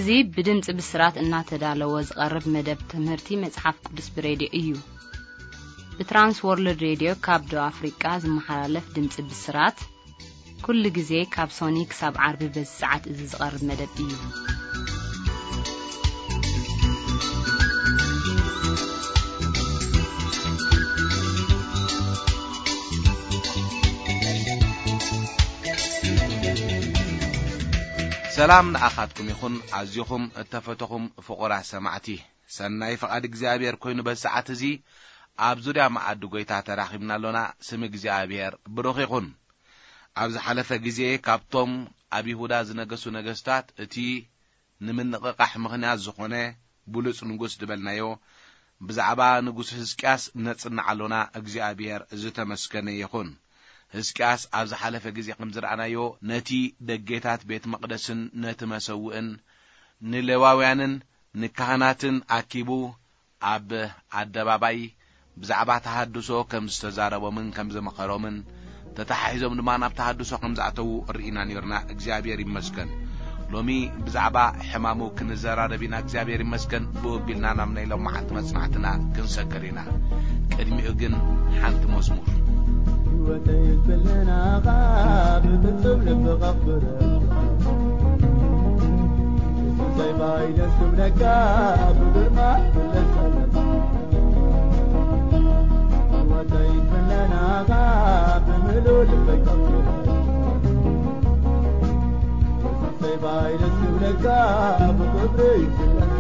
እዚ ብድምጺ ብስራት እናተዳለወ ዝቐርብ መደብ ትምህርቲ መጽሓፍ ቅዱስ ብሬድዮ እዩ። ብትራንስ ወርልድ ሬድዮ ካብ ደቡብ ኣፍሪቃ ዝመሓላለፍ ድምጺ ብስራት፣ ኩሉ ግዜ ካብ ሶኒ ክሳብ ዓርቢ በዚ ሰዓት እዚ ዝቐርብ መደብ እዩ። ሰላም ንኣኻትኩም ይኹን፣ ኣዚኹም እተፈተኹም ፍቑራት ሰማዕቲ። ሰናይ ፍቓድ እግዚኣብሔር ኮይኑ በዚ ሰዓት እዚ ኣብ ዙርያ መኣዲ ጐይታ ተራኺብና ኣሎና። ስም እግዚኣብሔር ብሩኽ ይኹን። ኣብ ዝሓለፈ ግዜ ካብቶም ኣብ ይሁዳ ዝነገሱ ነገስታት እቲ ንምንቕቓሕ ምኽንያት ዝኾነ ብሉጽ ንጉስ ዝበልናዮ ብዛዕባ ንጉስ ህዝቅያስ ነጽንዕ ኣሎና። እግዚኣብሔር ዝተመስገነ ይኹን። ህዝቅያስ ኣብ ዝሓለፈ ግዜ ከም ዝረኣናዮ ነቲ ደጌታት ቤት መቕደስን ነቲ መሰውእን ንሌዋውያንን ንካህናትን ኣኪቡ ኣብ ኣደባባይ ብዛዕባ ተሃድሶ ከም ዝተዛረቦምን ከም ዝመኸሮምን፣ ተተሓሒዞም ድማ ናብ ተሃድሶ ከም ዝኣተዉ ርኢና ነይርና። እግዚኣብሔር ይመስገን። ሎሚ ብዛዕባ ሕማሙ ክንዘራረብ ኢና። እግዚኣብሔር ይመስገን። ብኡ ኣቢልና ናብ ናይ ሎም መዓልቲ መጽናዕትና ክንሰግር ኢና። ቅድሚኡ ግን ሓንቲ መዝሙር። ህይወተይ ክልናኻ ብፍጹም ልቢ ከኽብረካ። የሱሰይ ባይ ደስ ክብለካ፣ ብግርማ ክብለካ። ህይወተይ ክልናኻ ብምሉእ ልበይ ከኽብረካ። የሱሰይ ባይ ደስ ክብለካ፣ ብክብሪ ክብለካ።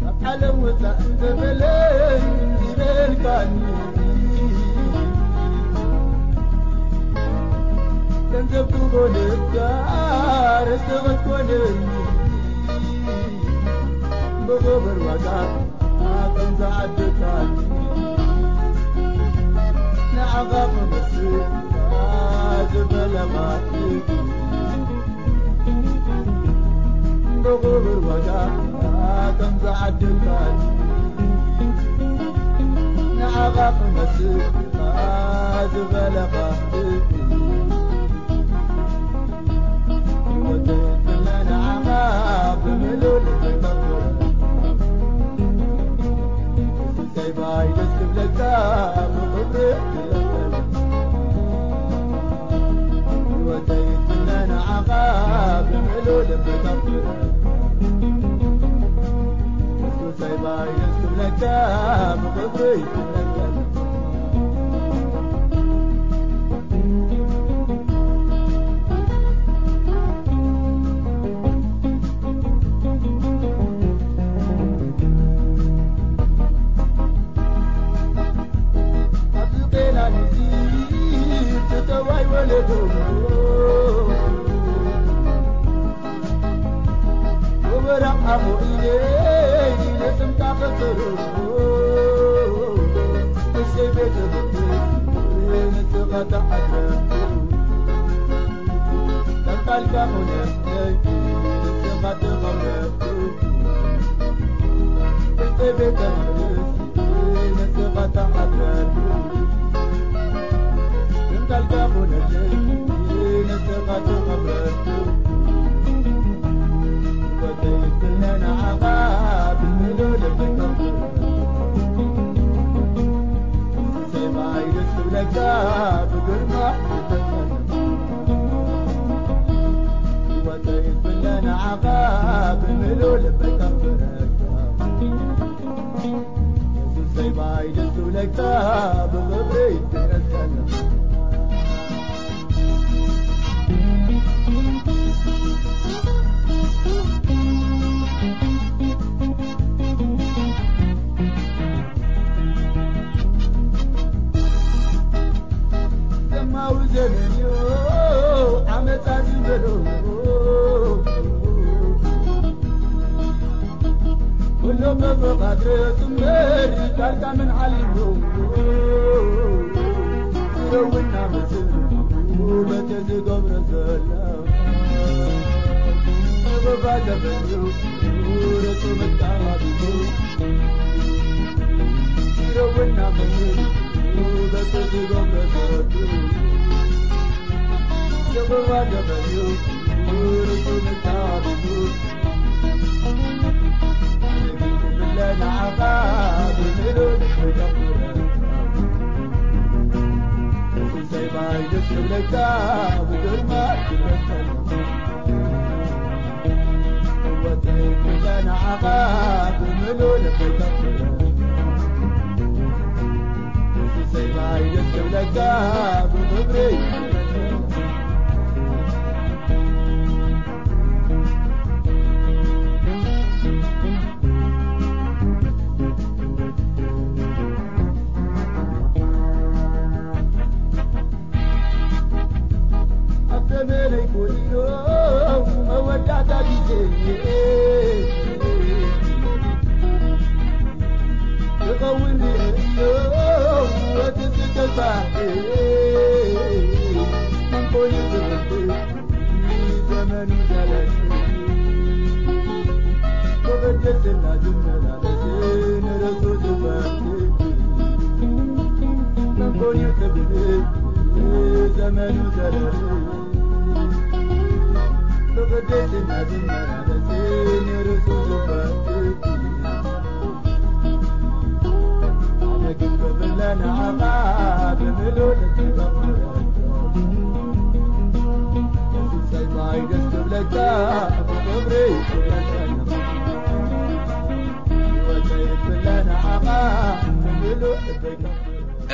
ካብ ዓለም ወፃእ እንተበለይ ዝበልካኒ፣ ገንዘብ ክኾነካ ርስቲ ክትኮነኒ፣ ብኽብር ዋጋ ኣቶም ዝዓደካኒ፣ ንዓኻ ክመስል ዝበለኻ ብኽቡር ዋጋ ከም ዝዓደልካኒ፣ ንዓኻ ክመስል ዝበለኻ ህይወተይ ንዓኻ ብምሉእ ልበይ ከኽብር። ሰይባይ ደስ ክብለካ ብኽብሪ ክለበል። ህይወተይ ትነ ንዓኻ ብምሉእ ልበይ ከኽብር። ሰይባይ ደስ ክብለካ ብኽብሪ ክለበል።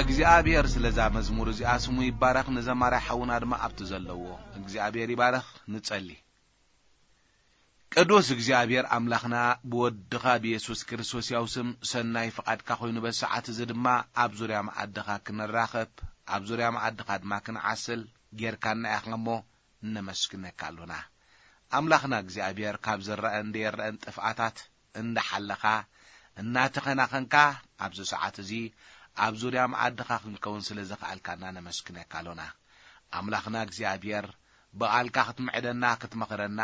እግዚኣብሔር ስለዛ መዝሙር እዚኣ ስሙ ይባረኽ። ንዘማርያ ሓውና ድማ ኣብቲ ዘለዎ እግዚኣብሔር ይባረኽ። ንጸሊ። ቅዱስ እግዚኣብሔር ኣምላኽና ብወድኻ ብየሱስ ክርስቶስ ያው ስም ሰናይ ፍቓድካ ኮይኑ በዚ ሰዓት እዚ ድማ ኣብ ዙርያ መኣድኻ ክንራኸብ፣ ኣብ ዙርያ መኣድኻ ድማ ክንዓስል ጌርካና ኢኻ እሞ ነመስግነካ ኣሎና። ኣምላኽና እግዚኣብሔር ካብ ዝረኣን ዘይረኣን ጥፍኣታት እንዳሓለኻ፣ እናተኸናኸንካ ኣብዚ ሰዓት እዚ ኣብ ዙርያ መኣድኻ ክንከውን ስለ ዘኽኣልካና ነመስግነካ ኣሎና። ኣምላኽና እግዚኣብሔር ብቓልካ ክትምዕደና፣ ክትመኽረና፣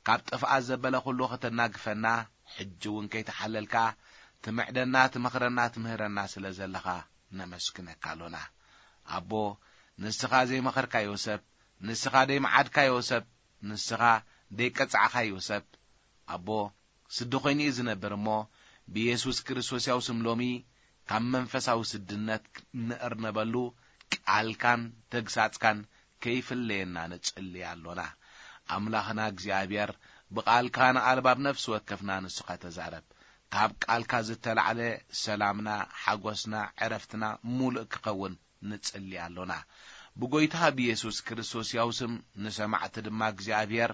ካብ ጥፍኣት ዘበለ ኩሉ ከተናግፈና፣ ሕጂ እውን ከይተሓለልካ ትምዕደና፣ ትመኽረና፣ ትምህረና ስለ ዘለኻ ነመስግነካ ኣሎና። ኣቦ፣ ንስኻ ዘይመኸርካዮ ሰብ፣ ንስኻ ዘይመዓድካዮ ሰብ፣ ንስኻ ዘይቀጻዕካዮ ሰብ፣ ኣቦ፣ ስዲ ኮይኑ እዩ ዝነብር እሞ፣ ብየሱስ ክርስቶስ ያው ስም ሎሚ ካብ መንፈሳዊ ስድነት ንእርነበሉ ቃልካን ተግሳጽካን ከይፍለየና ንጽሊ ኣሎና። ኣምላኽና እግዚኣብሔር፣ ብቓልካ ንኣልባብ ነፍሲ ወከፍና ንስኻ ተዛረብ። ካብ ቃልካ ዝተላዕለ ሰላምና፣ ሓጎስና፣ ዕረፍትና ሙሉእ ክኸውን ንጽሊ ኣሎና። ብጎይታ ብየሱስ ክርስቶስ ያው ስም ንሰማዕቲ ድማ እግዚኣብሔር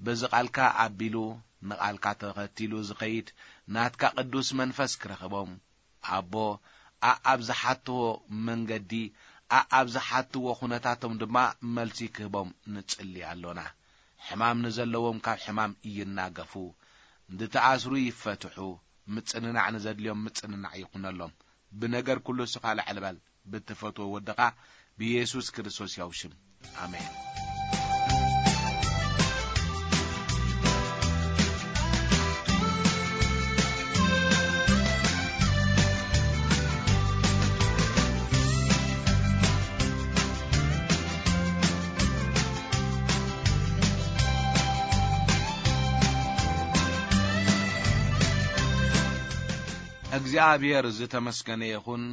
በዚ ቃልካ ኣቢሉ ንቓልካ ተኸቲሉ ዝኸይድ ናትካ ቅዱስ መንፈስ ክረኽቦም። ኣቦ፣ ኣኣብ ዝሓትዎ መንገዲ፣ ኣኣብ ዝሓትዎ ኩነታቶም ድማ መልሲ ክህቦም ንጽሊ ኣሎና። ሕማም ንዘለዎም ካብ ሕማም ይናገፉ፣ ዝተኣስሩ ይፈትሑ፣ ምጽንናዕ ንዘድልዮም ምጽንናዕ ይኹነሎም። ብነገር ኩሉ እስኻ ልዕል በል፣ ብትፈትዎ ወድኻ ብየሱስ ክርስቶስ ያው ሽም። ኣሜን። እግዚኣብሔር ዝተመስገነ ይኹን።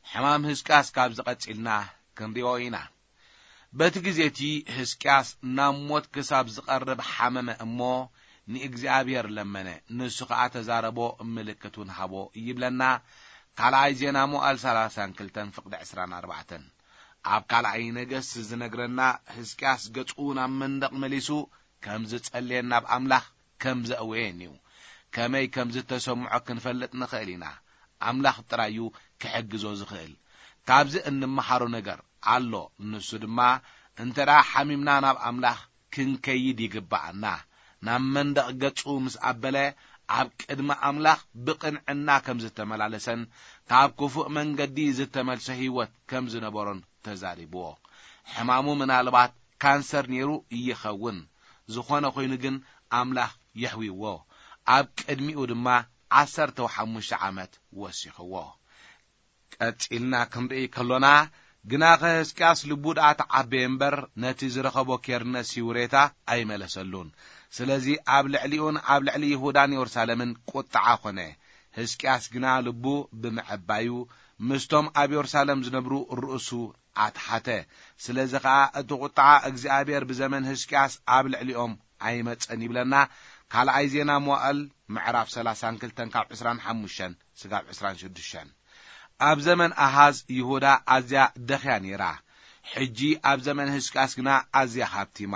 ሕማም ህዝቅያስ ካብዚ ቀጺልና ክንሪኦ ኢና። በቲ ግዜ እቲ ህዝቅያስ ናብ ሞት ክሳብ ዝቐርብ ሓመመ እሞ ንእግዚኣብሔር ለመነ፣ ንሱ ኸኣ ተዛረቦ፣ ምልክት እውን ሃቦ ይብለና ካልኣይ ዜና መዋዕል ሰላሳን ክልተን ፍቕዲ ዕስራን ኣርባዕተን። ኣብ ካልኣይ ነገስት ዝነግረና ህዝቅያስ ገጹ ናብ መንደቕ መሊሱ ከም ዝጸልየን ናብ ኣምላኽ ከም ዘእወየን እዩ። ከመይ ከም ዝተሰምዖ ክንፈልጥ ንኽእል ኢና። ኣምላኽ ጥራይ እዩ ክሕግዞ ዝኽእል። ካብዚ እንመሃሮ ነገር ኣሎ። ንሱ ድማ እንተ ደኣ ሓሚምና ናብ ኣምላኽ ክንከይድ ይግብኣና። ናብ መንደቕ ገጹ ምስ ኣበለ ኣብ ቅድሚ ኣምላኽ ብቕንዕና ከም ዝተመላለሰን ካብ ክፉእ መንገዲ ዝተመልሰ ህይወት ከም ዝነበሮን ተዛሪብዎ። ሕማሙ ምናልባት ካንሰር ነይሩ ይኸውን። ዝኾነ ኮይኑ ግን ኣምላኽ የሕዊዎ። ኣብ ቅድሚኡ ድማ ዓሰርተ ሓሙሽተ ዓመት ወሲኽዎ። ቀጺልና ክንርኢ ከሎና፣ ግናኸ ህዝቅያስ ልቡ ደኣ ተዓበየ እምበር፣ ነቲ ዝረኸቦ ኬርነስ ይውሬታ ኣይመለሰሉን። ስለዚ ኣብ ልዕሊኡን ኣብ ልዕሊ ይሁዳን የሩሳሌምን ቁጥዓ ኾነ። ህዝቅያስ ግና ልቡ ብምዕባዩ፣ ምስቶም ኣብ የሩሳሌም ዝነብሩ ርእሱ ኣትሓተ። ስለዚ ኸኣ እቲ ቁጥዓ እግዚኣብሔር ብዘመን ህዝቅያስ ኣብ ልዕሊኦም ኣይመጸን ይብለና። ካልኣይ ዜና መዋእል ምዕራፍ ሰላሳን ክልተን ካብ ዕስራን ሓሙሽተን ስጋብ ዕስራን ሽዱሽተን። ኣብ ዘመን ኣሃዝ ይሁዳ ኣዝያ ደኽያ ነይራ። ሕጂ ኣብ ዘመን ህዝቅያስ ግና ኣዝያ ሃብቲማ።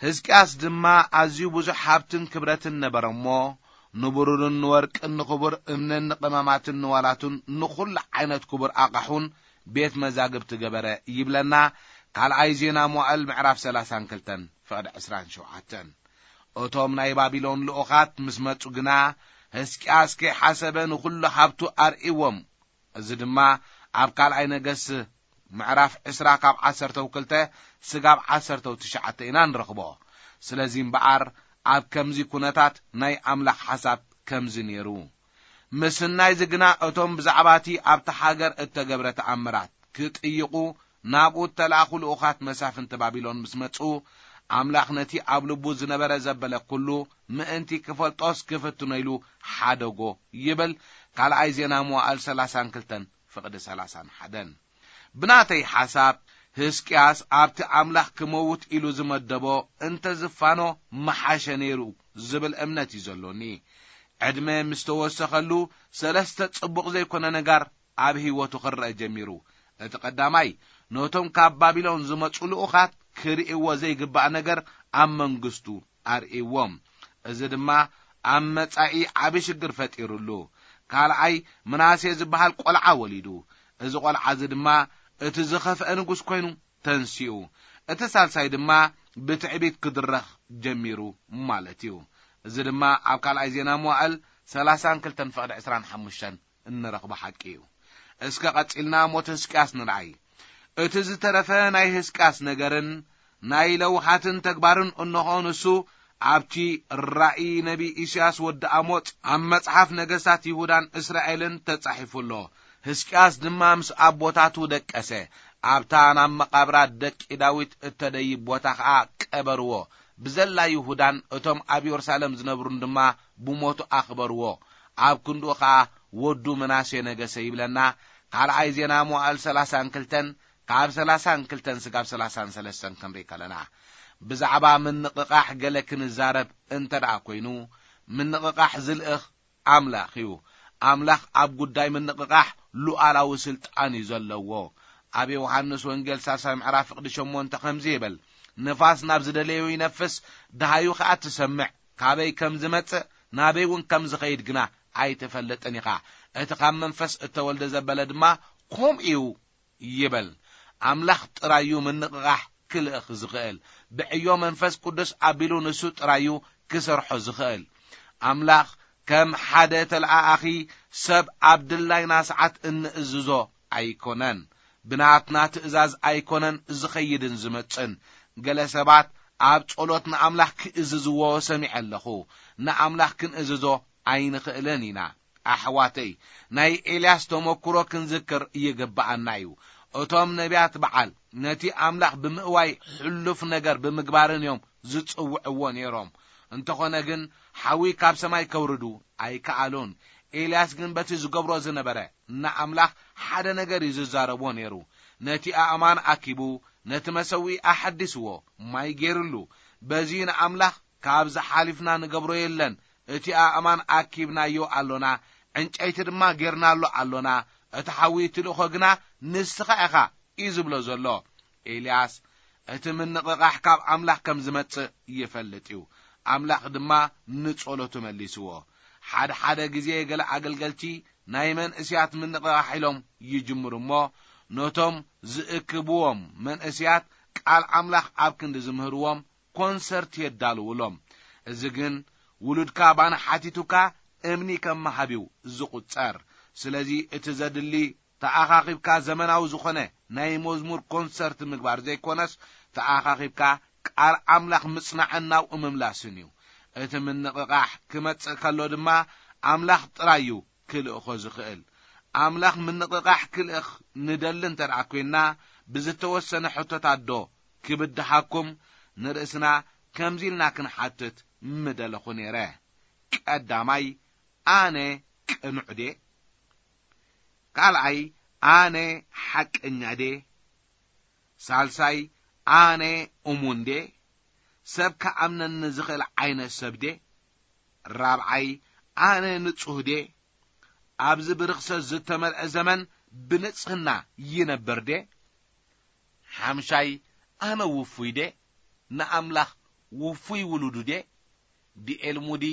ህዝቅያስ ድማ ኣዝዩ ብዙሕ ሃብትን ክብረትን ነበረ እሞ፣ ንብሩርን ንወርቅን ንኽቡር እምንን ንቐመማትን ንዋላቱን ንኹሉ ዓይነት ክቡር ኣቓሑን ቤት መዛግብቲ ገበረ ይብለና። ካልኣይ ዜና መዋእል ምዕራፍ ሰላሳን ክልተን ፍቕዲ ዕስራን ሸውዓተን። እቶም ናይ ባቢሎን ልኡኻት ምስ መጹ ግና፣ ህዝቅያስ ከይሓሰበ ንኹሉ ሃብቱ ኣርእይዎም። እዚ ድማ ኣብ ካልኣይ ነገስ ምዕራፍ ዕስራ ካብ ዓሰርተው ክልተ ስጋብ ዓሰርተው ትሽዓተ ኢና ንረኽቦ። ስለዚ እምበኣር ኣብ ከምዚ ኩነታት ናይ ኣምላኽ ሓሳብ ከምዚ ነይሩ። ምስናይ እዚ ግና እቶም ብዛዕባ እቲ ኣብታ ሃገር እተገብረ ተኣምራት ክጥይቑ ናብኡ እተላእኹ ልኡኻት መሳፍንቲ ባቢሎን ምስ መጹ፣ ኣምላኽ ነቲ ኣብ ልቡ ዝነበረ ዘበለ ኩሉ ምእንቲ ክፈልጦስ ክፍትኖ ኢሉ ሓደጎ ይብል ካልኣይ ዜና መዋእል ሰላሳን ክልተን ፍቕዲ ሰላሳን ሓደን። ብናተይ ሓሳብ፣ ህዝቅያስ ኣብቲ ኣምላኽ ክመውት ኢሉ ዝመደቦ እንተ ዝፋኖ ምሓሸ ነይሩ ዝብል እምነት እዩ ዘሎኒ። ዕድመ ምስ ተወሰኸሉ፣ ሰለስተ ጽቡቕ ዘይኮነ ነጋር ኣብ ህይወቱ ክረአ ጀሚሩ። እቲ ቀዳማይ፣ ነቶም ካብ ባቢሎን ዝመጹ ልኡኻት ክርእይዎ ዘይግባእ ነገር ኣብ መንግስቱ ኣርእይዎም። እዚ ድማ ኣብ መጻኢ ዓቢ ሽግር ፈጢሩሉ። ካልኣይ፣ ምናሴ ዝበሃል ቆልዓ ወሊዱ። እዚ ቆልዓ እዚ ድማ እቲ ዝኸፍአ ንጉስ ኮይኑ ተንሲኡ። እቲ ሳልሳይ ድማ ብትዕቢት ክድረኽ ጀሚሩ ማለት እዩ። እዚ ድማ ኣብ ካልኣይ ዜና መዋእል ሰላሳን ክልተን ፍቕዲ ዕስራን ሓሙሽተን እንረኽቦ ሓቂ እዩ። እስከ ቀጺልና ሞት ህዝቅያስ ንርኣይ። እቲ ዝተረፈ ናይ ህዝቅያስ ነገርን ናይ ለውሃትን ተግባርን፣ እንሆ ንሱ ኣብቲ ራእይ ነቢ ኢሳያስ ወዲ ኣሞጽ ኣብ መጽሓፍ ነገስታት ይሁዳን እስራኤልን ተጻሒፉ ኣሎ። ህዝቅያስ ድማ ምስ ኣቦታቱ ደቀሰ፣ ኣብታ ናብ መቓብራት ደቂ ዳዊት እተደይብ ቦታ ኸኣ ቀበርዎ። ብዘላ ይሁዳን እቶም ኣብ የሩሳሌም ዝነብሩን ድማ ብሞቱ ኣኽበርዎ። ኣብ ክንድኡ ኸኣ ወዱ ምናሴ ነገሰ ይብለና። ካልኣይ ዜና መዋእል ሰላሳን ክልተን ካብ ሰላሳን ክልተን ስጋብ ሰላሳን ሰለስተን ክንርኢ ከለና፣ ብዛዕባ ምንቕቓሕ ገለ ክንዛረብ እንተ ደኣ ኮይኑ፣ ምንቕቓሕ ዝልእኽ ኣምላኽ እዩ። ኣምላኽ ኣብ ጉዳይ ምንቕቓሕ ሉዓላዊ ስልጣን እዩ ዘለዎ። ኣብ ዮሃንስ ወንጌል ሳልሳይ ምዕራፍ ፍቕዲ ሸሞንተ ከምዚ ይብል፣ "ንፋስ ናብ ዝደለዮ ይነፍስ፣ ደሃዩ ኸኣ ትሰምዕ፣ ካበይ ከም ዝመጽእ፣ ናበይ እውን ከም ዝኸይድ ግና ኣይትፈልጥን ኢኻ። እቲ ካብ መንፈስ እተወልደ ዘበለ ድማ ከምኡ እዩ" ይብል። ኣምላኽ ጥራይ እዩ ምንቕቓሕ ክልእኽ ዝኽእል። ብዕዮ መንፈስ ቅዱስ ኣቢሉ ንሱ ጥራይ እዩ ክሰርሖ ዝኽእል። ኣምላኽ ከም ሓደ ተለኣኣኺ ሰብ ኣብ ድላይና ሰዓት እንእዝዞ ኣይኮነን። ብናትና ትእዛዝ ኣይኮነን ዝኸይድን ዝመጽእን። ገለ ሰባት ኣብ ጸሎት ንኣምላኽ ክእዝዝዎ ሰሚዐ ኣለኹ። ንኣምላኽ ክንእዝዞ ኣይንኽእልን ኢና። ኣሕዋተይ፣ ናይ ኤልያስ ተመክሮ ክንዝክር ይግብኣና እዩ። እቶም ነቢያት በዓል ነቲ ኣምላኽ ብምእዋይ ሕሉፍ ነገር ብምግባርን እዮም ዝጽውዕዎ ነይሮም። እንተኾነ ግን፣ ሓዊ ካብ ሰማይ ከውርዱ ኣይከኣሉን። ኤልያስ ግን በቲ ዝገብሮ ዝነበረ ንኣምላኽ ሓደ ነገር እዩ ዝዛረቦ ነይሩ። ነቲ ኣእማን ኣኪቡ፣ ነቲ መሰውኢ ኣሐዲስዎ፣ ማይ ገይርሉ። በዚ ንኣምላኽ ካብዚ ሓሊፍና ንገብሮ የለን። እቲ ኣእማን ኣኪብናዮ ኣሎና፣ ዕንጨይቲ ድማ ጌርናሉ ኣሎና። እቲ ሓዊ ትልእኾ ግና ንስኻ ኢኻ እዩ ዝብሎ ዘሎ። ኤልያስ እቲ ምንቕቓሕ ካብ ኣምላኽ ከም ዝመጽእ ይፈልጥ እዩ። ኣምላኽ ድማ ንጸሎቱ መሊስዎ። ሓደ ሓደ ግዜ ገለ ኣገልገልቲ ናይ መንእስያት ምንቕቓሕ ኢሎም ይጅምሩ እሞ፣ ነቶም ዝእክብዎም መንእስያት ቃል ኣምላኽ ኣብ ክንዲ ዝምህርዎም፣ ኮንሰርት የዳልውሎም። እዚ ግን ውሉድካ ባና ሓቲቱካ እምኒ ከም ምሃብ እዩ ዝቑጸር። ስለዚ እቲ ዘድሊ ተኣኻኺብካ ዘመናዊ ዝኾነ ናይ መዝሙር ኮንሰርት ምግባር ዘይኮነስ፣ ተኣኻኺብካ ቃል ኣምላኽ ምጽናዕን ናብኡ ምምላስን እዩ። እቲ ምንቕቓሕ ክመጽእ ከሎ ድማ ኣምላኽ ጥራይ እዩ ክልእኾ ዝኽእል። ኣምላኽ ምንቕቓሕ ክልእኽ ንደሊ እንተ ደኣ ኰይንና፣ ብዝተወሰነ ሕቶታት ዶ ክብድሃኩም ንርእስና ከምዚ ኢልና ክንሓትት ምደለኹ ነይረ። ቀዳማይ፣ ኣነ ቅኑዕ ድየ? ካልኣይ፣ ኣነ ሓቀኛ ድየ? ሳልሳይ፣ ኣነ እሙን ድየ? ሰብ ክኣምነኒ ዝኽእል ዓይነት ሰብ ድየ? ራብዓይ፣ ኣነ ንጹህ ድየ? ኣብዚ ብርኽሰት ዝተመልአ ዘመን ብንጽህና ይነብር ድየ? ሓምሻይ፣ ኣነ ውፉይ ድየ? ንኣምላኽ ውፉይ ውሉዱ ድየ? ዲኤል ሙዲ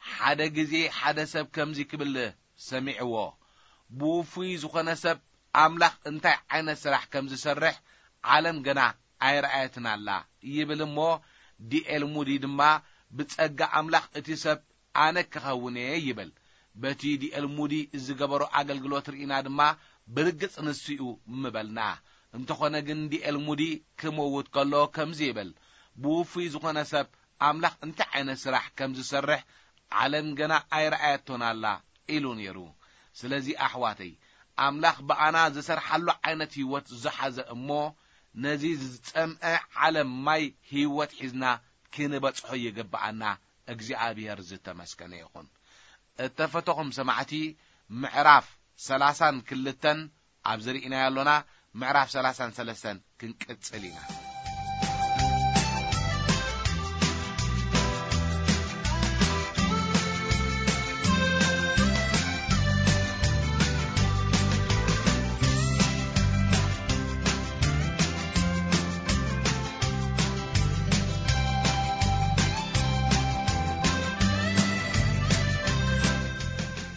ሓደ ግዜ ሓደ ሰብ ከምዚ ክብል ሰሚዕዎ፣ "ብውፉይ ዝኾነ ሰብ ኣምላኽ እንታይ ዓይነት ስራሕ ከም ዝሰርሕ ዓለም ገና ኣይረኣየትን ኣላ" ይብል እሞ፣ ዲኤል ሙዲ ድማ፣ "ብጸጋ ኣምላኽ እቲ ሰብ ኣነ ክኸውን እየ" ይብል። በቲ ዲኤል ሙዲ ዝገበሮ ኣገልግሎት ርኢና ድማ፣ ብርግጽ ንሱ እዩ ምበልና። እንተኾነ ግን ዲኤል ሙዲ ክመውት ከሎ ከምዚ ይብል፣ "ብውፉይ ዝኾነ ሰብ ኣምላኽ እንታይ ዓይነት ስራሕ ከም ዝሰርሕ ዓለም ገና ኣይረኣየቶን ኣላ" ኢሉ ነይሩ። ስለዚ ኣሕዋተይ፣ ኣምላኽ ብኣና ዝሰርሓሉ ዓይነት ህይወት ዝሓዘ እሞ፣ ነዚ ዝጸምአ ዓለም ማይ ህይወት ሒዝና ክንበጽሖ ይግብኣና። እግዚኣብሔር ዝተመስገነ ይኹን። እተፈተኹም ሰማዕቲ፣ ምዕራፍ ሰላሳን ክልተን ኣብዚ ርኢናዮ ኣሎና፣ ምዕራፍ ሰላሳን ሰለስተን ክንቅጽል ኢና።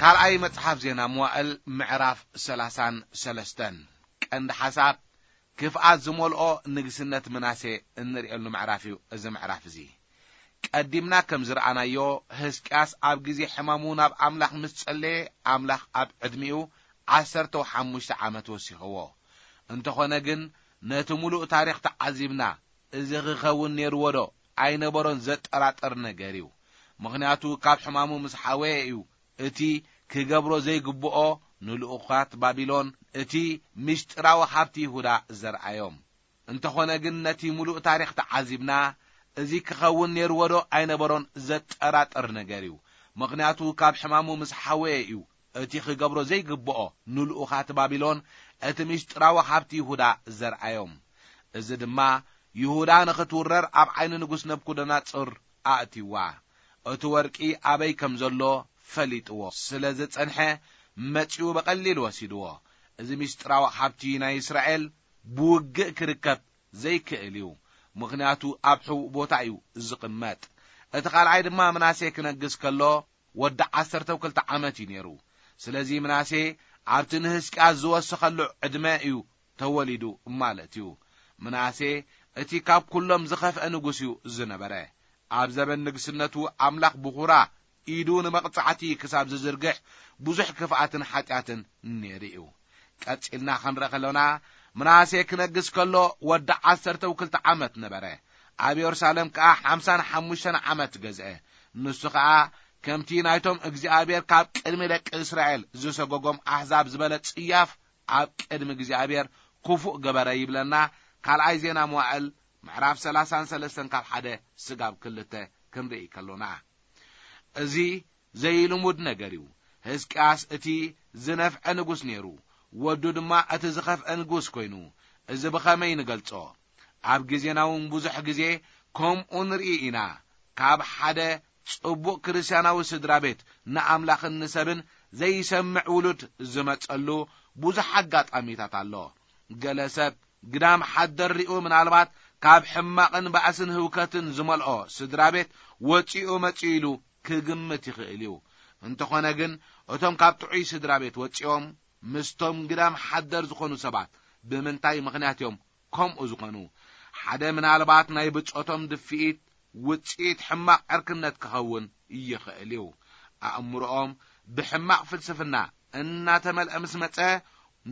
ካልኣይ መጽሓፍ ዜና መዋእል ምዕራፍ ሰላሳን ሰለስተን። ቀንዲ ሓሳብ፣ ክፍኣት ዝመልኦ ንግስነት ምናሴ እንርእየሉ ምዕራፍ እዩ እዚ ምዕራፍ እዚ። ቀዲምና ከም ዝረኣናዮ፣ ህዝቅያስ ኣብ ግዜ ሕማሙ ናብ ኣምላኽ ምስ ጸለየ፣ ኣምላኽ ኣብ ዕድሚኡ ዓሰርተ ሓሙሽተ ዓመት ወሲኽዎ። እንተኾነ ግን፣ ነቲ ምሉእ ታሪኽ ተዓዚብና፣ እዚ ክኸውን ነይርዎ ዶ ኣይነበሮን ዘጠራጥር ነገር እዩ። ምኽንያቱ፣ ካብ ሕማሙ ምስ ሓወየ እዩ እቲ ክገብሮ ዘይግብኦ ንልኡኻት ባቢሎን እቲ ምስጢራዊ ሃብቲ ይሁዳ ዘርኣዮም። እንተኾነ ግን፣ ነቲ ምሉእ ታሪኽ ተዓዚብና፣ እዚ ክኸውን ነይርዎ ዶ ኣይነበሮን ዘጠራጥር ነገር እዩ። ምኽንያቱ፣ ካብ ሕማሙ ምስ ሓወየ እዩ እቲ ክገብሮ ዘይግብኦ ንልኡኻት ባቢሎን እቲ ምስጢራዊ ሃብቲ ይሁዳ ዘርኣዮም። እዚ ድማ፣ ይሁዳ ንኽትውረር ኣብ ዓይኒ ንጉስ ነብኩደነጾር ኣእትይዋ። እቲ ወርቂ ኣበይ ከም ዘሎ ፈሊጥዎ ስለ ዝጸንሐ፣ መጺኡ ብቐሊል ወሲድዎ። እዚ ምስጢራዊ ሃብቲ ናይ እስራኤል ብውግእ ክርከብ ዘይክእል እዩ፣ ምኽንያቱ ኣብ ሕቡእ ቦታ እዩ ዝቕመጥ። እቲ ካልኣይ ድማ ምናሴ ክነግስ ከሎ ወዲ ዓሰርተ ክልተ ዓመት እዩ ነይሩ። ስለዚ ምናሴ ኣብቲ ንህዝቅያስ ዝወሰኸሉ ዕድመ እዩ ተወሊዱ ማለት እዩ። ምናሴ እቲ ካብ ኩሎም ዝኸፍአ ንጉስ እዩ ዝነበረ። ኣብ ዘበን ንግስነቱ ኣምላኽ ብኹራ ኢዱ ንመቕጻዕቲ ክሳብ ዝዝርግሕ ብዙሕ ክፍኣትን ሓጢኣትን ነይሩ እዩ። ቀጺልና ክንርኢ ከሎና፣ ምናሴ ክነግስ ከሎ ወዲ ዓሰርተ ክልተ ዓመት ነበረ። ኣብ የሩሳሌም ከኣ ሓምሳን ሓሙሽተን ዓመት ገዝአ። ንሱ ኸኣ ከምቲ ናይቶም እግዚኣብሔር ካብ ቅድሚ ደቂ እስራኤል ዝሰጎጎም ኣሕዛብ ዝበለ ጽያፍ ኣብ ቅድሚ እግዚኣብሔር ክፉእ ገበረ ይብለና። ካልኣይ ዜና መዋእል ምዕራፍ ሰላሳን ሰለስተን ካብ ሓደ ስጋብ ክልተ ክንርኢ ከሎና፣ እዚ ዘይልሙድ ነገር እዩ። ህዝቅያስ እቲ ዝነፍዐ ንጉስ ነይሩ፣ ወዱ ድማ እቲ ዝኸፍአ ንጉስ ኮይኑ። እዚ ብኸመይ ንገልጾ? ኣብ ግዜና እውን ብዙሕ ግዜ ከምኡ ንርኢ ኢና። ካብ ሓደ ጽቡቕ ክርስትያናዊ ስድራ ቤት ንኣምላኽን ንሰብን ዘይሰምዕ ውሉድ ዝመጸሉ ብዙሕ ኣጋጣሚታት ኣሎ። ገለ ሰብ ግዳም ሓደር ሪኡ ምናልባት ካብ ሕማቕን ባእስን ህውከትን ዝመልኦ ስድራ ቤት ወጺኡ መጺኡ ኢሉ ክግምት ይኽእል እዩ። እንተኾነ ግን እቶም ካብ ጥዑይ ስድራ ቤት ወጺኦም ምስቶም ግዳም ሓደር ዝኾኑ ሰባት ብምንታይ ምኽንያት እዮም ከምኡ ዝኾኑ? ሓደ ምናልባት ናይ ብጾቶም ድፍኢት ውጽኢት ሕማቕ ዕርክነት ክኸውን ይኽእል እዩ። ኣእምሮኦም ብሕማቕ ፍልስፍና እናተመልአ ምስ መጸ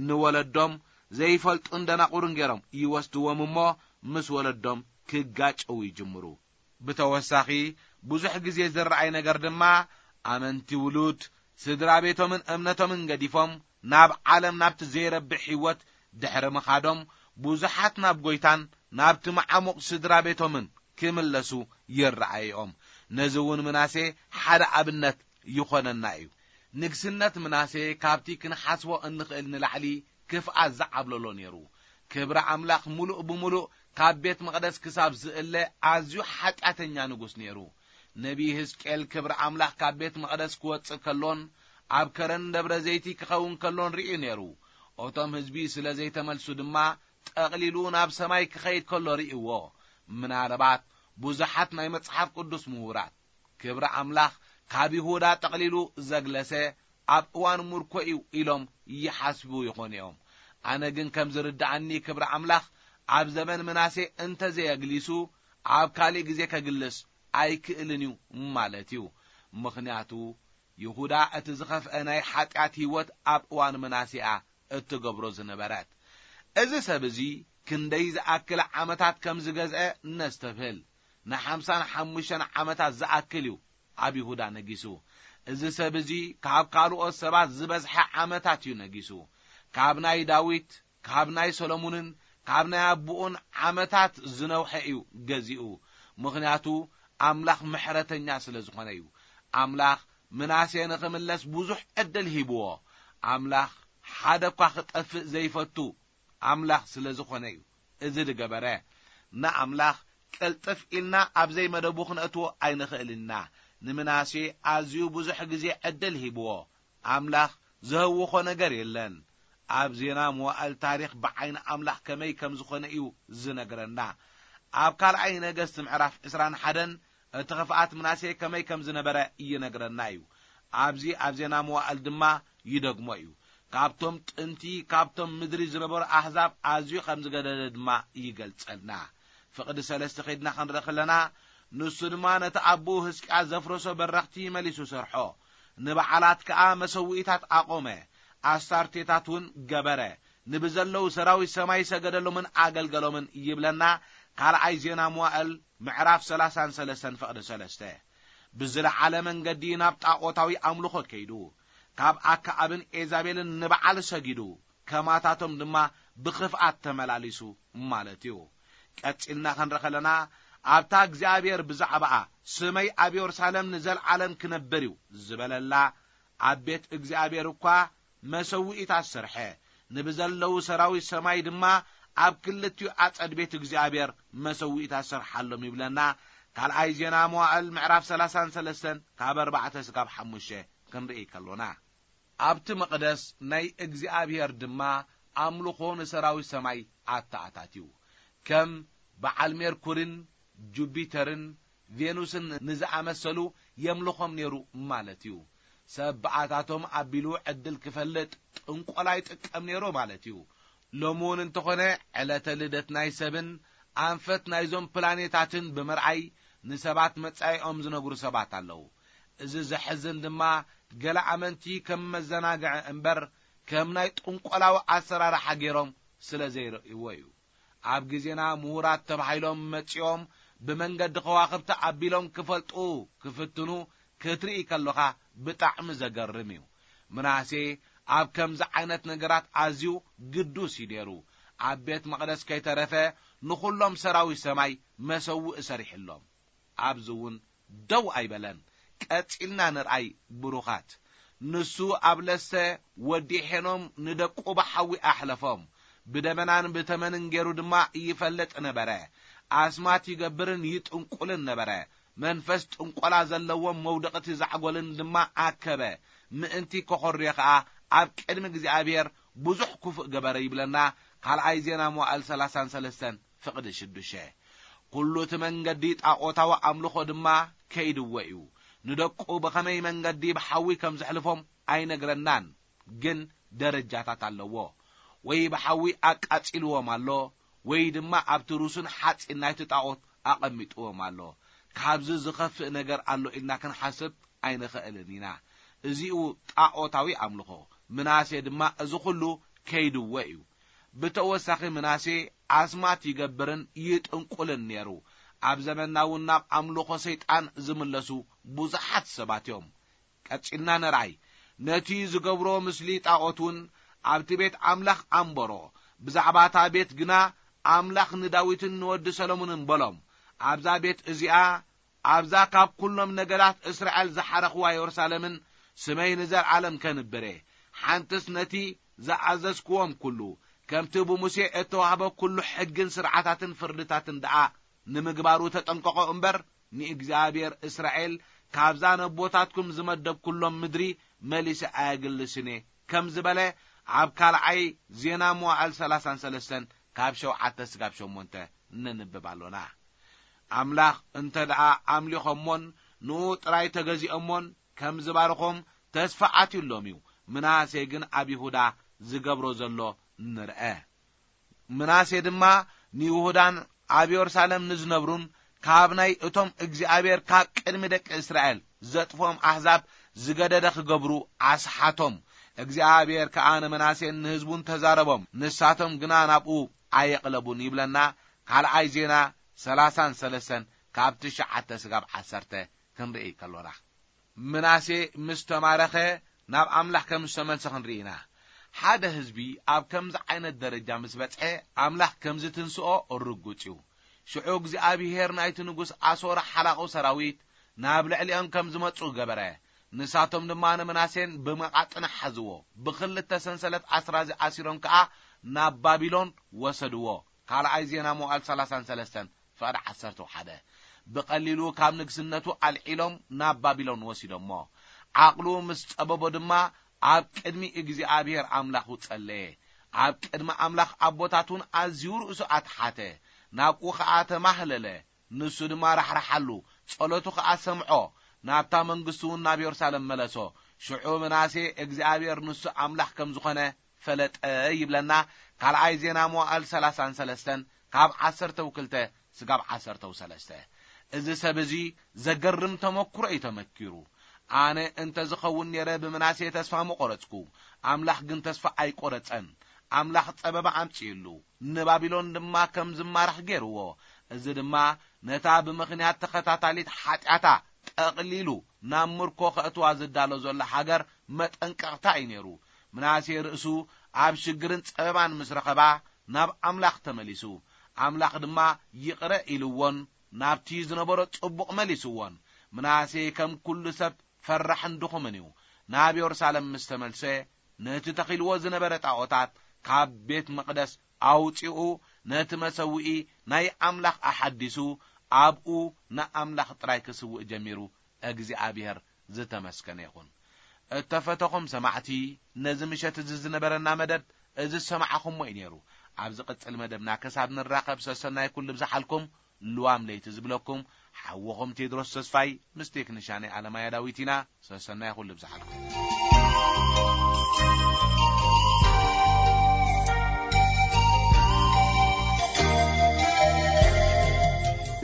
ንወለዶም ዘይፈልጡን ደናቑርን ገይሮም ይወስድዎም እሞ ምስ ወለዶም ክጋጨዉ ይጅምሩ። ብተወሳኺ ብዙሕ ግዜ ዝረኣይ ነገር ድማ፣ ኣመንቲ ውሉድ ስድራ ቤቶምን እምነቶምን ገዲፎም ናብ ዓለም፣ ናብቲ ዘይረብሕ ህይወት ድሕሪ ምኻዶም፣ ብዙሓት ናብ ጎይታን ናብቲ መዓሙቕ ስድራ ቤቶምን ክምለሱ ይረኣይኦም። ነዚ እውን ምናሴ ሓደ ኣብነት ይኾነና እዩ። ንግስነት ምናሴ ካብቲ ክንሓስቦ እንኽእል ንላዕሊ ክፍኣት ዝዓብለሎ ነይሩ። ክብሪ ኣምላኽ ምሉእ ብምሉእ ካብ ቤት መቕደስ ክሳብ ዝእለ ኣዝዩ ሓጢኣተኛ ንጉስ ነይሩ። ነቢይ ህዝቅኤል ክብሪ ኣምላኽ ካብ ቤት መቕደስ ክወጽእ ከሎን ኣብ ከረን ደብረ ዘይቲ ክኸውን ከሎን ርእዩ ነይሩ። እቶም ህዝቢ ስለ ዘይተመልሱ ድማ ጠቕሊሉ ናብ ሰማይ ክኸይድ ከሎ ርእይዎ። ምናልባት ብዙሓት ናይ መጽሓፍ ቅዱስ ምሁራት ክብሪ ኣምላኽ ካብ ይሁዳ ጠቕሊሉ ዘግለሰ ኣብ እዋን ምርኮ እዩ ኢሎም ይሓስቡ ይኾኑ እዮም። ኣነ ግን ከም ዝርድኣኒ ክብሪ ኣምላኽ ኣብ ዘመን ምናሴ እንተዘየግሊሱ ኣብ ካልእ ግዜ ከግልስ ኣይክእልን እዩ ማለት እዩ። ምኽንያቱ ይሁዳ እቲ ዝኸፍአ ናይ ሓጢኣት ህይወት ኣብ እዋን ምናሴ እያ እትገብሮ ዝነበረት። እዚ ሰብ እዚ ክንደይ ዝኣክል ዓመታት ከም ዝገዝአ ነስተብህል። ንሓምሳን ሓሙሽተን ዓመታት ዝኣክል እዩ ኣብ ይሁዳ ነጊሱ። እዚ ሰብ እዚ ካብ ካልኦት ሰባት ዝበዝሐ ዓመታት እዩ ነጊሱ። ካብ ናይ ዳዊት፣ ካብ ናይ ሰሎሙንን ካብ ናይ ኣቦኡን ዓመታት ዝነውሐ እዩ ገዚኡ። ምኽንያቱ ኣምላኽ ምሕረተኛ ስለ ዝኾነ እዩ። ኣምላኽ ምናሴ ንኽምለስ ብዙሕ ዕድል ሂብዎ። ኣምላኽ ሓደ እኳ ክጠፍእ ዘይፈቱ ኣምላኽ ስለ ዝኾነ እዩ እዚ ዝገበረ። ንኣምላኽ ቅልጥፍ ኢልና ኣብ ዘይመደቡ ክነእትዎ ኣይንኽእልን ኢና። ንምናሴ ኣዝዩ ብዙሕ ግዜ ዕድል ሂብዎ። ኣምላኽ ዘህውኾ ነገር የለን። ኣብ ዜና መዋእል ታሪኽ ብዓይኒ ኣምላኽ ከመይ ከም ዝኾነ እዩ ዝነግረና። ኣብ ካልኣይ ነገስት ምዕራፍ ዕስራን ሓደን እቲ ክፍኣት ምናሴ ከመይ ከም ዝነበረ ይነግረና እዩ። ኣብዚ ኣብ ዜና መዋእል ድማ ይደግሞ እዩ። ካብቶም ጥንቲ ካብቶም ምድሪ ዝነበሩ ኣህዛብ ኣዝዩ ከም ዝገደደ ድማ ይገልጸልና። ፍቕዲ ሰለስተ ኸይድና ክንርኢ ከለና፣ ንሱ ድማ ነቲ ኣቦኡ ህዝቅያስ ዘፍረሶ በረኽቲ መሊሱ ሰርሖ፣ ንበዓላት ከኣ መሰውኢታት ኣቖመ፣ ኣስታርቴታት እውን ገበረ፣ ንብዘለዉ ሰራዊት ሰማይ ሰገደሎምን ኣገልገሎምን ይብለና። ካልኣይ ዜና መዋእል ምዕራፍ ሰላሳን ሰለስተን ፍቕዲ ሰለስተ። ብዝለዓለ መንገዲ ናብ ጣዖታዊ ኣምልኾ ከይዱ፣ ካብ ኣክዓብን ኤዛቤልን ንበዓል ሰጊዱ፣ ከማታቶም ድማ ብኽፍኣት ተመላሊሱ ማለት እዩ። ቀጺልና ክንርኢ ከለና፣ ኣብታ እግዚኣብሔር ብዛዕባኣ ስመይ ኣብ የሩሳሌም ንዘለዓለም ክነብር እዩ ዝበለላ ኣብ ቤት እግዚኣብሔር እኳ መሰውኢታት ሰርሐ፣ ንብዘለዉ ሰራዊት ሰማይ ድማ ኣብ ክልቲኡ ኣጸድ ቤት እግዚኣብሔር መሰውኢታት ሰርሓሎም ይብለና። ካልኣይ ዜና መዋእል ምዕራፍ ሰላሳን ሰለስተን ካብ ኣርባዕተ ስጋብ ሓሙሽተ ክንርኢ ከሎና፣ ኣብቲ መቕደስ ናይ እግዚኣብሔር ድማ ኣምልኾ ንሰራዊት ሰማይ ኣተኣታትዩ። ከም በዓል ሜርኩርን ጁፒተርን ቬኑስን ንዝኣመሰሉ የምልኾም ነይሩ ማለት እዩ። ሰብ ብኣታቶም ኣቢሉ ዕድል ክፈልጥ ጥንቆላ ይጥቀም ነይሩ ማለት እዩ። ሎሚ እውን እንተኾነ ዕለተ ልደት ናይ ሰብን ኣንፈት ናይዞም ፕላኔታትን ብምርኣይ ንሰባት መጻኢኦም ዝነግሩ ሰባት ኣለዉ። እዚ ዘሕዝን ድማ ገለ ኣመንቲ ከም መዘናግዒ እምበር ከም ናይ ጥንቆላዊ ኣሰራርሓ ገይሮም ስለ ዘይርእይዎ እዩ። ኣብ ግዜና ምሁራት ተባሂሎም መጺኦም ብመንገዲ ከዋኽብቲ ኣቢሎም ክፈልጡ ክፍትኑ ክትርኢ ከለኻ ብጣዕሚ ዘገርም እዩ። ምናሴ ኣብ ከምዚ ዓይነት ነገራት ኣዝዩ ግዱስ እዩ ነይሩ። ኣብ ቤት መቕደስ ከይተረፈ ንኹሎም ሰራዊት ሰማይ መሰውእ ሰሪሕሎም። ኣብዚ እውን ደው ኣይበለን። ቀጺልና ንርኣይ ብሩኻት። ንሱ ኣብ ለሰ ወዲ ሄኖም ንደቁ ብሓዊ ኣሕለፎም። ብደበናን ብተመንን ገይሩ ድማ ይፈልጥ ነበረ። ኣስማት ይገብርን ይጥንቁልን ነበረ። መንፈስ ጥንቆላ ዘለዎም መውደቕቲ ዛዕጎልን ድማ ኣከበ። ምእንቲ ከኾርዮ ከኣ ኣብ ቅድሚ እግዚኣብሔር ብዙሕ ክፉእ ገበረ ይብለና። ካልኣይ ዜና መዋእል ሰላሳን ሰለስተን ፍቕዲ ሽዱሽተ። ኩሉ እቲ መንገዲ ጣዖታዊ ኣምልኾ ድማ ከይድዎ እዩ። ንደቁ ብኸመይ መንገዲ ብሓዊ ከም ዘሕልፎም ኣይነግረናን፣ ግን ደረጃታት ኣለዎ። ወይ ብሓዊ ኣቃጺልዎም ኣሎ፣ ወይ ድማ ኣብቲ ሩሱን ሓጺን ናይቲ ጣዖት ኣቐሚጥዎም ኣሎ። ካብዚ ዝኸፍእ ነገር ኣሎ ኢልና ክንሓስብ ኣይንኽእልን ኢና። እዚኡ ጣዖታዊ ኣምልኾ። ምናሴ ድማ እዚ ኹሉ ከይድዎ እዩ። ብተወሳኺ ምናሴ ኣስማት ይገብርን ይጥንቁልን ነይሩ። ኣብ ዘመንና እውን ናብ ኣምልኾ ሰይጣን ዝምለሱ ብዙሓት ሰባት እዮም። ቀጺልና ንርኣይ። ነቲ ዝገብሮ ምስሊ ጣዖት እውን ኣብቲ ቤት ኣምላኽ ኣንበሮ። ብዛዕባ እታ ቤት ግና ኣምላኽ ንዳዊትን ንወዲ ሰሎሞንን በሎም፣ ኣብዛ ቤት እዚኣ፣ ኣብዛ ካብ ኩሎም ነገዳት እስራኤል ዝሓረኽዋ የሩሳሌምን ስመይ ንዘለዓለም ከንብር እየ። ሓንትስ ነቲ ዝኣዘዝክዎም ኩሉ፣ ከምቲ ብሙሴ እተዋህበ ኩሉ ሕግን ስርዓታትን ፍርድታትን ደኣ ንምግባሩ ተጠንቀቖ እምበር፣ ንእግዚኣብሔር እስራኤል ካብዛ ነቦታትኩም ዝመደብኩሎም ምድሪ መሊሰ ኣየግልስን እየ ከም ዝበለ፣ ኣብ ካልኣይ ዜና መዋዕል ሰላሳን ሰለስተን ካብ ሸውዓተ ስጋብ ሸሞንተ ነንብብ ኣሎና። ኣምላኽ እንተ ደኣ ኣምሊኾሞን ንኡ ጥራይ ተገዚኦሞን ከም ዝባርኾም ተስፋ ኣትዩሎም እዩ። ምናሴ ግን ኣብ ይሁዳ ዝገብሮ ዘሎ ንርአ። ምናሴ ድማ ንይሁዳን ኣብ የሩሳሌም ንዝነብሩን ካብ ናይ እቶም እግዚኣብሔር ካብ ቅድሚ ደቂ እስራኤል ዘጥፍኦም ኣሕዛብ ዝገደደ ክገብሩ ኣስሓቶም። እግዚኣብሔር ከኣ ንምናሴን ንህዝቡን ተዛረቦም፣ ንሳቶም ግና ናብኡ ኣየቕለቡን ይብለና። ካልኣይ ዜና ሰላሳን ሰለስተን ካብ ትሽዓተ ስጋብ ዓሰርተ ክንርኢ ከሎና፣ ምናሴ ምስ ተማረኸ ናብ ኣምላኽ ከም ዝተመልሰ ክንርኢ ኢና። ሓደ ህዝቢ ኣብ ከምዚ ዓይነት ደረጃ ምስ በጽሐ ኣምላኽ ከም ዝትንስኦ ርጉጽ እዩ። ሽዑ እግዚኣብሔር ናይቲ ንጉስ ኣሶር ሓላቑ ሰራዊት ናብ ልዕሊኦም ከም ዝመጹ ገበረ። ንሳቶም ድማ ንምናሴን ብመቓጥን ሓዝዎ፣ ብኽልተ ሰንሰለት ኣስራዚ ኣሲሮም ከኣ ናብ ባቢሎን ወሰድዎ። ካልኣይ ዜና መዋዕል ሰላሳን ሰለስተን ፍቕዲ ዓሰርተ ሓደ። ብቐሊሉ ካብ ንግስነቱ ኣልዒሎም ናብ ባቢሎን ወሲዶሞ። ዓቕሉ ምስ ጸበቦ ድማ ኣብ ቅድሚ እግዚኣብሔር ኣምላኹ ጸለየ። ኣብ ቅድሚ ኣምላኽ ኣቦታቱን ኣዝዩ ርእሱ ኣትሓተ። ናብኡ ኸኣ ተማህለለ። ንሱ ድማ ራሕራሓሉ፣ ጸሎቱ ኸኣ ሰምዖ። ናብታ መንግስቱ እውን ናብ የሩሳሌም መለሶ። ሽዑ ምናሴ እግዚኣብሔር ንሱ ኣምላኽ ከም ዝኾነ ፈለጠ ይብለና። ካልኣይ ዜና መዋዕል ሰላሳን ሰለስተን ካብ ዓሰርተው ክልተ ስጋብ ዓሰርተው ሰለስተ። እዚ ሰብ እዚ ዘገርም ተመክሮ እዩ ተመኪሩ። ኣነ እንተ ዝኸውን ነይረ ብምናሴ ተስፋ ምቆረጽኩ። ኣምላኽ ግን ተስፋ ኣይቆረጸን። ኣምላኽ ጸበባ ኣምጺኡሉ፣ ንባቢሎን ድማ ከም ዝማረኽ ገይርዎ። እዚ ድማ ነታ ብምኽንያት ተኸታታሊት ሓጢኣታ ጠቕሊሉ ናብ ምርኮ ከእትዋ ዝዳሎ ዘሎ ሃገር መጠንቀቕታ እዩ ነይሩ። ምናሴ ርእሱ ኣብ ሽግርን ጸበባን ምስ ረኸባ ናብ ኣምላኽ ተመሊሱ። ኣምላኽ ድማ ይቕረ ኢልዎን ናብቲ ዝነበሮ ጽቡቕ መሊስዎን። ምናሴ ከም ኩሉ ሰብ ፈራሕን ድኹምን እዩ። ናብ የሩሳሌም ምስ ተመልሰ ነቲ ተኺልዎ ዝነበረ ጣዖታት ካብ ቤት መቕደስ ኣውጺኡ ነቲ መሰውኢ ናይ ኣምላኽ ኣሓዲሱ ኣብኡ ንኣምላኽ ጥራይ ክስውእ ጀሚሩ። እግዚኣብሔር ዝተመስገነ ይኹን። እተፈተኹም ሰማዕቲ፣ ነዚ ምሸት እዚ ዝነበረና መደብ እዚ ዝሰማዕኹሞ እዩ ነይሩ። ኣብ ዝቕጽል መደብና ክሳብ ንራኸብ ሰሰናይ ኩሉ ብዝሓልኩም ልዋም ለይቲ ዝብለኩም ሓወኹም ቴድሮስ ተስፋይ ምስ ቴክኒሻነይ ኣለማያ ዳዊት ኢና። ሰሰናይ ኩሉ ብዝሓልኩም።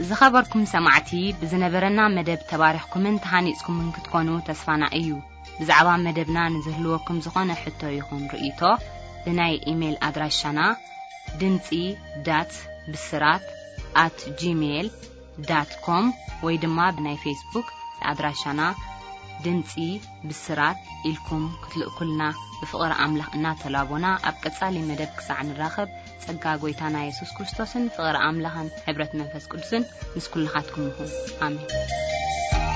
ዝኸበርኩም ሰማዕቲ፣ ብዝነበረና መደብ ተባሪኽኩምን ተሃኒጽኩምን ክትኮኑ ተስፋና እዩ። ብዛዕባ መደብና ንዝህልወኩም ዝኾነ ሕቶ ይኹን ርእይቶ፣ ብናይ ኢሜይል ኣድራሻና ድምጺ ዳት ብስራት ኣት ጂሜይል ዳት ኮም ወይ ድማ ብናይ ፌስቡክ ኣድራሻና ድምጺ ብስራት ኢልኩም ክትልእኩልና ብፍቕሪ ኣምላኽ እናተላቦና፣ ኣብ ቀጻሊ መደብ ክሳዕ ንራኸብ፣ ጸጋ ጐይታና የሱስ ክርስቶስን ፍቕሪ ኣምላኽን ሕብረት መንፈስ ቅዱስን ምስ ኩልኻትኩም ይኹን። ኣሜን።